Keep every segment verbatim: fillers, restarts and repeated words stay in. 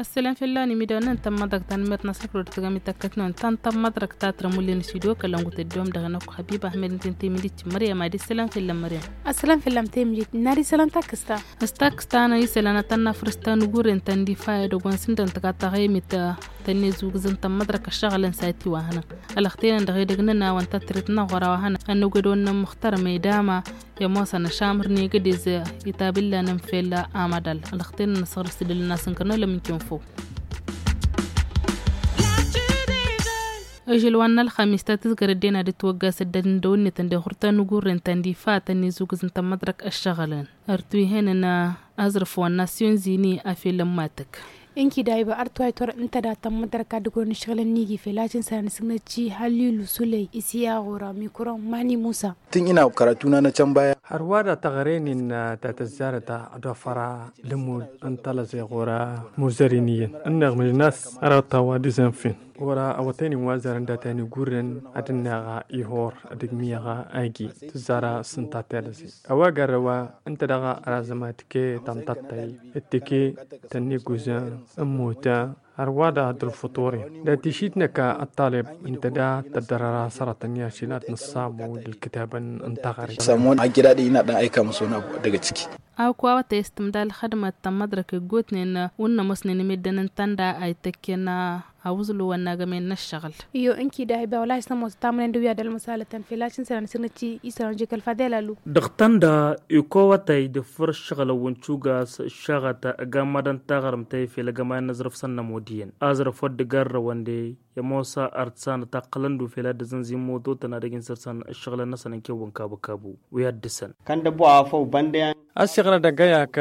Ăsselam fell-awen imidawăn n-tămmăḍrăkt tanmert n-asrăklo d-tăgami tăkkătnăwăn tăn-tămmăḍrăkt ta tărămullen s-ido kălăngut ăddoom dăɣ-năkk habib ahmed n-tintăy midit măryam ad-isselam fell-am măryam. Ăsselam fell-am tăymijit n-ad-isselam takkăsta. S-takkăsta n-isselam ad-tăn-nafrǝs ta n-ugurren ta n-difa edăgg wa n-sǝndăn tǝkattăɣ emit tăn-nezugǝzăn tămmăḍrăk ăššăɣǝlăn s-ad-tiwahănăn. Ălăxtenăn dăɣ-edăgg n-ănawăn ta tărǝt n-aɣora wa hănăn ănnăwgădăwăn n-ămmăxtăr măydama i-ămoosăn ăšamăr n-egădez. Itabǝllanăn fel amădal ălăxtenăn ăsɣăr s-tǝdǝlăn asǝnkăr n-elăm n-kinfo. Ăžăl wa n-ălxamis ta tǝzgărăt dena d-ătwăgga săddăd n-dăwănnetăn d-iɣurta n-ugurren ta n-difa tăn-izugǝz n-tămmăḍrăk ăššăɣǝlăn. Ărtu ihănăn azrǝf wa n-nasyon zini afel ămmatăk. Ǝnki dayba ărtu a itwărăt n-tăda tămmăḍrăk ad-ǝgwărăn ǝššăɣǝlăn n-igi fel a cǝnsan asǝgnăt ci hallilu sulăy isiyaɣ ora mikron mani musa. Tǝnj ina kăratuna n-ăcănbaya. Hărwa da tăɣre-nin ta tăzzarăt ad-ofăra lămud n-talăẓeɣ ora muzărin iyyăn ǝnneɣ mǝjnas arăɣ-tawa d-izănfen. Ora awătăynin wa zărăn data n-igurrăn ad-ǝnneɣ ihor ad-ǝgmiyăɣ agi tǝzzara s-ǝnta telăẓe. A-wa garrăwa ǝnta daɣ arazăm ad-tǝke tăntattăy d-tǝke tănniguzăn n-mota. Hărwa da d-ălfăṭuren dat-išit năka ăṭṭaleb ǝnta da tăddărăra sărătăn i-ašil ad-nǝṣṣamu d-ǝlkǝtabăn n-taɣre. Sămon ajjădad i-inadăn a ikamusăwăn abu dăgg-ăcki. Awǝk wa wătăy s-tǝmdal xădmăt tămmăḍrăk iggotnen wǝnnă ămoosnen imedden n-tanda a ităkken awǝẓlu wa n-agămen n-ăššăɣǝl. Iyo ǝnki dahiba wăla isnămoos tamănen d-wi ad-ălmăsalătăn fel a-s n-sănăn s-năcci isălan jekăl fadel alu. Dăɣ-tanda ikowătăy d-ǝffǝr ǝššăɣǝlăn wa n-cugas ǝššăɣăt ăgammădăn taɣrǝmt tăy fel ăgămay n-aẓrǝf s-ănnămod iyyăn aẓrǝf wăr dd-garrăwăn de i-ămoos artǝsanăt aqqălăn-dd ufel ad-dd-ăzănzin mototăn ad-ăj n-săr-săn ǝššăɣǝlăn-năsăn ǝnkew wa n-kabǝkabu. Wi ad-dăr-săn. Kăndăbo afăw băndăyan. Ăsiɣrăd ăgg-ăyak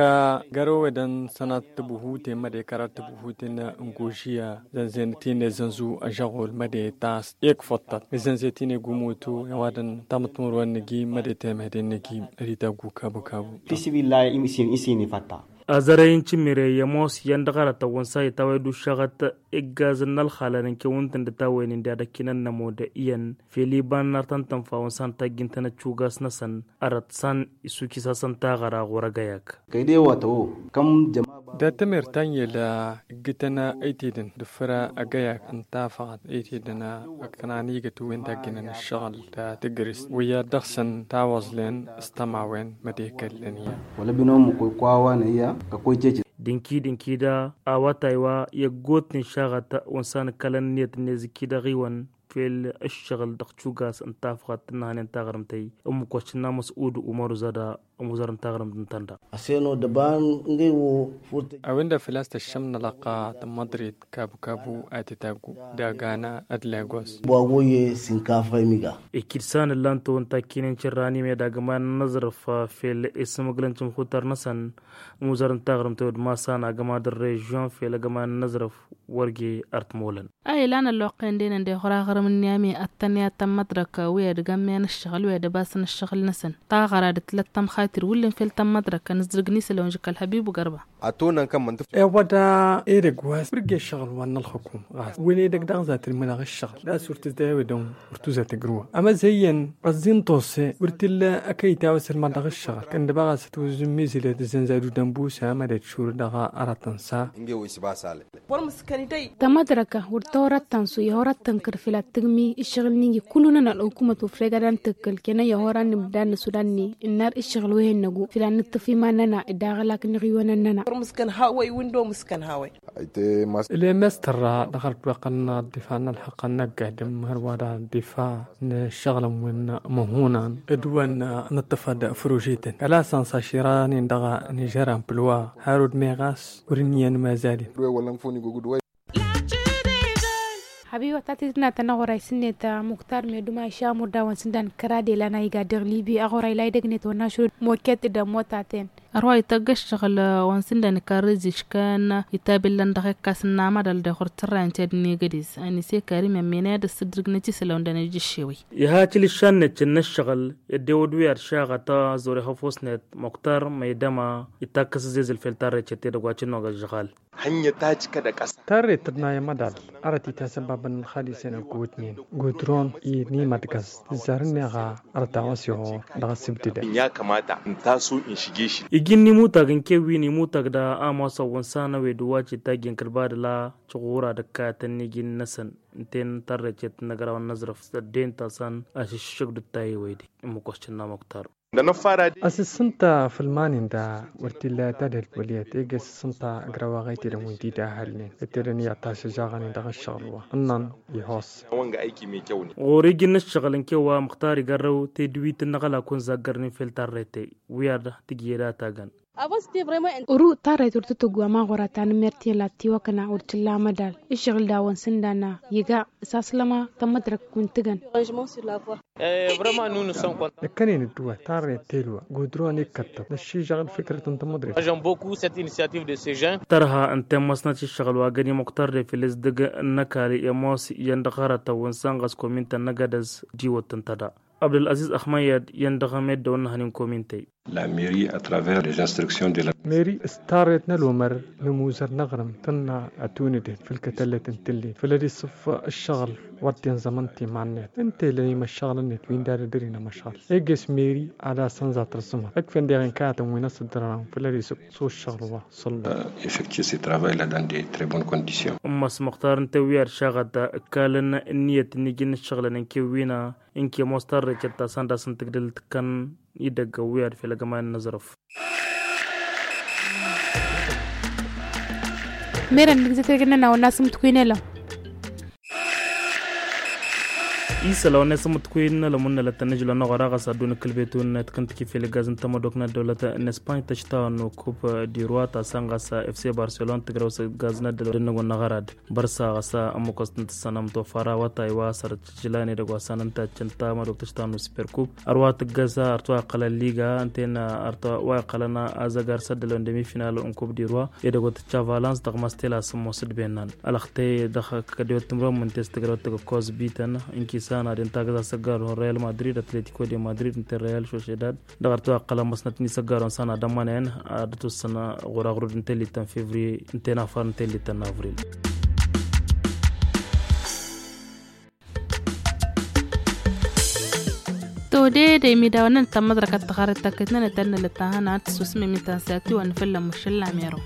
găr-ewedăn sănat tǝbuhuten măde kărat tǝbuhuten n-gožiya zănzen tinezănzu ăžăɣul măde tas. Ikfăṭṭăt izănze tinegu moto i-ăwadăn tamǝtmăr wa n-nǝgi măde temăhden nǝgi. Rităggu kabǝkabu. Fisibillahi isin isin ifătta. Azărăy n-cimire i-ămoos iyyăn dăɣ-arătăn wa n-sa itawăy d-uššăɣăt iggazăn n-ălxalăn n-kewǝntăn d-tawăynen d-ad-ăkkinăn n-ămod iyyăn fel iba n-artăn tănfa wa n-sa n-tajjǝn-tăn ăccugas-năsăn. Arăt san isukis-asăn taɣăra ɣur-ăgg-ăyak. Kăy-de-wa tăwo kăm jăma. Dat-tămer ta n-yăla ǝggǝtăn ăytedăn d-ǝffǝra ăgg-ăyak ǝnta afăɣăt ăytedăn ăkkănan igăt wi n-tajjǝnăn ǝššăɣǝl ta tǝgrǝst wi ad-dăɣ-săn tawăẓlen s-tămawen mădekăllăn iyyăn. Wăla bino măkoy kowa wa n-ăyya kăkoy cece. Dǝnki-dǝnki da awătay wa i-ăggootnen šaɣăt wa n-san ǝkkălăn ǝnniyăt ǝnnezǝkki dăɣ-iwăn. Fel ǝššăɣǝl dăɣ-cugas ǝnta afăɣăt tǝnnăhnen taɣrǝmt-ăy ǝmmǝk wa s-tǝnna măsud umăr uzăda ămuzăr n-taɣrǝmt n-tănda. Aseno dăba n-găy wo furtăj. A-wen-dăɣ făl-a-s tăššăm n-alăqqa tămmăḍrit kabǝkabu a titaggu d-agana d-lagos. Bwago ye sinkafa imiga. Ikid san ǝllan-tăwăn takkinen cărrani med agămay n-anăẓrǝf fel isǝmǝglăn cǝmxutăr-năsăn ămuzăr n-taɣrǝmt-ăy wăr d-masan agămay d-ărrežion fel agămay n-anăẓrǝf. Wăr ge ărtmolăn. A ilan ălloqqen denăn deɣ ɣur-aɣrǝm n-niyame ăttănna i-ad-tămmăḍrăk wi ad-gămmen ǝššăɣǝl wi ad-ăbasăn ǝššăɣǝl-năsăn taɣăra d-tǝlăt tămxatir wǝllen fel tămmăḍrăk ănǝzdǝrǝg n-isălan žǝkăl hăbib u-gărba. Ătwănăn kămmăn tǝfs. Ewăda edăgg wa s-wăr ge ǝššăɣǝl wa n-ălxukum ɣas wăla edăgg daɣ zatǝl mănăɣ ǝššăɣǝl d-asurtǝs d-ewădăn wăr tuzăt ǝgrǝwăn ămăzăyyăn ăẓẓin tose wăr t-illa ăkăyy tawăsăl mănăɣ ǝššăɣǝl kăndăba ɣas ătwăzzǝmmizǝlăt ǝzzănzad udănbus a mădăt šurǝd dăɣ-arătăn s-a. Tămăḍrăka wăr tăhorăt tănsu i-horăt tănkăr făl ad-tǝgmi ǝššăɣǝl n-iji kullu-nănăɣ ălxukumăt wăr fegăd a n-tǝkkǝl kănăn i-hor a n-imdannăs wăr-anne ǝnnar ǝššăɣǝl wi hin-năgu făl ad-nǝṭṭǝf iman-nănăɣ d-aɣǝlak n-iɣiwăn-nănăɣ. Wăr mǝskăn hawăy wǝndom mǝskăn hawăy. Lemestăr dăɣ-ărdwăqăn ăḍḍifan n-ălxăqqăn năggaydăm hărwa dăɣ-ăḍḍifa n-ǝššăɣǝlăn wi n-măhunan d-wăn nǝṭṭăfăd făružităn kăla săn s-aširanen dăɣ-nižăran pǝlwa har wăr d-meɣ a-s wăr ǝnniyăn mazalin. Hăbiwăt ta tǝdǝnatăn aɣoray s-net muktar meduma išamur dawăn s-ǝndan kăra d-elan a iga dăɣ-libi aɣoray la idăgnet wăr n-ašrud moket d-ămmotaten. Ărwa ităgg ǝššăɣǝl wa n-sǝndan ikarrǝz iškăn itabillăn dăɣ-ekkas n-amădal dăɣ-ɣur-tărrayăn ti ad-negădez anise karim ămmenăy ad-ăssǝddǝrǝgnăt isălan dăɣ-nejǝššewăy. Iha tilǝššannăt cǝnnă ǝššăɣǝl ed ewăd wi ad-šaɣăt a zor ihăfosnet muktar măydăma itakkăs ǝzzezǝl fel tarrăycăt edăgg wa cǝnnoɣ ăžžăɣal. Hănni ta cǝkădăk ăsa. Tarret tǝdnayăm adal. Arăt itasăbabăn n-xadisen ăggootnen gudron i-nimădgăz tǝzzar-neɣ. Arăt a-wa s-ihor dăɣ-asǝbdǝdăn. Ijin nimutag n-kewwin imutag da a mosăwwăn s-anăwed wa citagin kăl-badăla căɣura d-ăkkayătăn n-ijin-năsăn. Ǝnta-en tarrecet n-agraw n-aẓrǝf s-ăddin ta s-an ašǝššǝk d-ăttayewăyde. Imǝkoscǝn n-amuktar. Asǝssǝnta făll-iman-in da wăr t-illa i-tadhǝlt wăl' iyyăt ege asǝssǝnta agraw a ɣăytedăn wi n-tidahălnen ăttedăn iyyăt tašăžaɣăn-in dăɣ-ǝššăɣǝl wa ǝnnăn. Ihos. Ɣur-iji n-ǝššăɣǝl n-kewwa măxtar igarrăw tedwit n-aɣălak wa n-zaggărnen fel tarrete wi ad-tǝjjed a tagăn. Ru tarret wăr tǝtǝggu ama ɣur-ad-tanǝmmert i-lat tiwăkna wăr t-illa amădal. Ǝššăɣǝl dawăn sǝndan iga s-aslăma tămmădrăk wi n-tǝgăn. Năkkănen ǝddǝwăt tarret telwa gudron ikkăttăw năššižăɣ ălfǝkrăt n-tămmădrăk. Tărha ǝnta i-măsnăt i-ǝššăɣǝl wa găni muktar d-efilǝs dăgg-năkali i-ămoos iyyăn dăɣ-hărătăn wi n-sănɣăs komintăn n-agădăz. Diwăt tǝnta da abdăl-aziz ăxmăyyăd iyyăn dăɣ-ameddew ănnăhăn n-komintăy. La mairie à travers les instructions de la mairie s-tarret n-ălwămăr n-amuzăr n-aɣrǝm tǝnna ătunǝdet făll-kătăllăt n-tǝllit făll-ad-isǝf ǝššăɣǝl. Wăr t-inẓămăn timan-net ǝnta ila imăššăɣǝl-net wi n-dadădăr-in ămăšɣal. Eges mairie ad-asănza tărẓǝmăt ǝkf'-en deɣ inkayătăn wi n-asǝddărăɣăn făll-ad-isǝksu ǝššăɣǝl wa. Săllu. Effectuer ce travail la dans de très bonnes conditions. Ǝmmăs măxtar n-tewwi ad-šaɣăt ǝkkalăn ǝnniyăt n-iji n-ǝššăɣǝlăn n-kewwina. Ǝnke ămoos tarrecet ta s-anda s-n-tǝgdǝl tǝkkăn idăgg ăwwi ad-fel agămay n-inǝẓrǝf. Merăn nǝgzet egǝnnăn a wănna s-mǝtkwin elăm. Isăl a wănna s-mǝtkwin elăm wănna lăttăn nǝžlăn oɣăra ɣas ad-dun ǝkkǝlbetun tǝkkăn tǝkifel igaz n-tămădok n-ăddăwlăt n-espany tăštawăn n-okub. Dirwa ta s-anɣas fc barcelon tǝgrăw s-igaz n-ăddăwlăt n-ăgg wănna ɣărad. Bărsa ɣasa ămmukăs tǝntǝssanăm tofara wătay wa săr tǝjlan edăgg wa s-anăn taccăn tamădok tǝštan n-super kub. Ărwa tǝggăsa ărtwa iqqălăn liga ǝnta-en ărtwa wa iqqălăn azăgar s-ăddălon demi final n-kub dirwa. Edăgg wa tǝcca valans dăɣ-mastela s-ămmos d-bennan ălăxtăy dăɣ-kădewăt timrăwăn mǝntes tǝgrăwăt tăgg-ăkkoẓ bităn. Ǝnkisan ad-intagǝz asăggar real madrid atletico de madrid ǝnta-en real sociedad. Dăɣ-ărtwa iqqălăn măsnăt n-isăggarun s-anadămănen ad-ătussăn ɣur-aɣrud n-tellit ta n-fevriye ǝnta-en afar n-tellit ta n-avril. Todede imidawăn n-tămmăḍrăkăt tăxarăt takăt n-anătănnălăt ta hăna ad-tǝssusmem i-tansatiwăn fălla măšăl lameru.